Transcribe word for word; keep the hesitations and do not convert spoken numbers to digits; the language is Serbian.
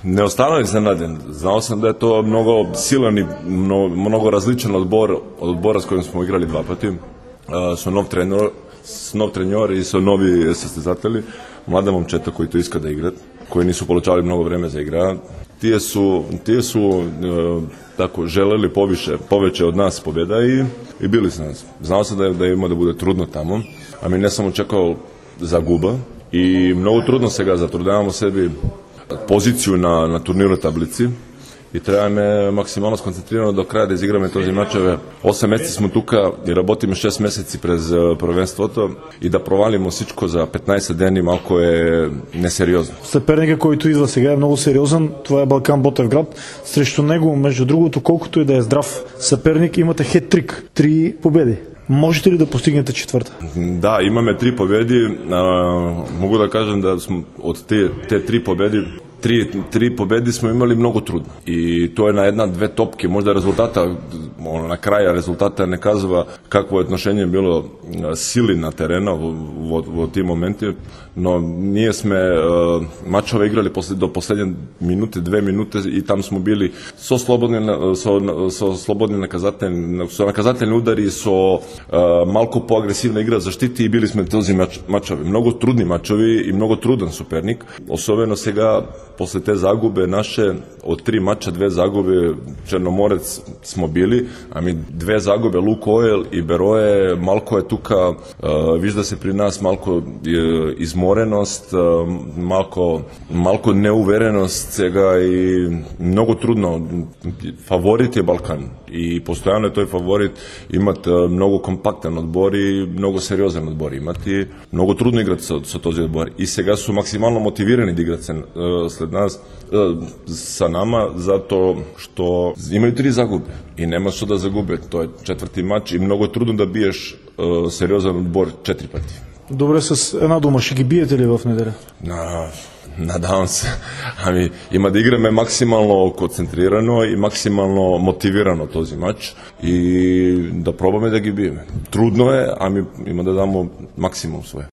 Ne ostanem iznenađen. Znao sam da je to mnogo silan i mnogo, mnogo različan odbor od odbora s kojim smo igrali dva pati. Uh, su nov trenor, nov trenor i su novi sastezatelji. Mlada momčeta koji to iska da igrat, koji nisu polučavali mnogo vreme za igra. Tije su, tije su uh, tako želeli poviše, poveće od nas pobjeda i, i bili su nas. Znao sam da, da ima da bude trudno tamo, a mi ne samo čekao za guba i mnogo trudno se ga zatrudavamo sebi poziciju na, na turniru tablici i treba me maksimalno skoncentrirano do kraja da izigrame tozi mačeve. Osam meseci smo tuka i rabotimo šest meseci prez prvenstvo to и да провалимо всичко за петнаесет дни малко е несериозно. Съперника, който идва сега, е много сериозен. Това е Балкан Ботевград. Срещу него, между другото, колкото и да е здрав съперник, имате хет-трик. Три победи. Можете ли да постигнете четвърта? Да, имаме три победи. А, мога да кажем да сме от те, те три победи Tri, tri pobedi smo imali mnogo trudno i to je na jedna, dve topke, možda rezultata, ono, na kraja rezultata ne kazava kakvo je отношение bilo sili na terena u, u, u tim momenti, no nije sme uh, mačove igrali posle, do poslednje minute, dve minute i tam smo bili so slobodni, so, so slobodni nakazateljni, so nakazateljni udari, so uh, malko poagresivna igra zaštiti i bili smo tozi mač, mačovi. Mnogo trudni mačovi i mnogo trudan supernik, особено сега posle te zagube naše, od tri mača dve zagube Černomorec smo bili, a mi dve zagube Lukoil i Beroje, malko je tuka, uh, viš se pri nas malko je, izmorenost, uh, malko, malko neuverenost svega i mnogo trudno. Favorit je Balkan i postojano je to je favorit imati uh, mnogo kompaktan odbor i mnogo seriozan odbor imati, mnogo trudno igrati sa, sa tozi odbor i сега su maksimalno motivirani da igrati se, uh, sled nas sa nama zato što imaju tri zagube i nema što da zagube, to je četvrti mač i mnogo je trudno da biješ uh, seriozan odbor četiri pati. Добре, с една дума, ще ги биете ли в неделя? Na, nadam se. Ами, ima da igrаме maksimalno koncentrirano i maksimalno motivirano tozi mač i da probаме da gi bijeme. Trudno je, a mi ima da damo maksimum svoje.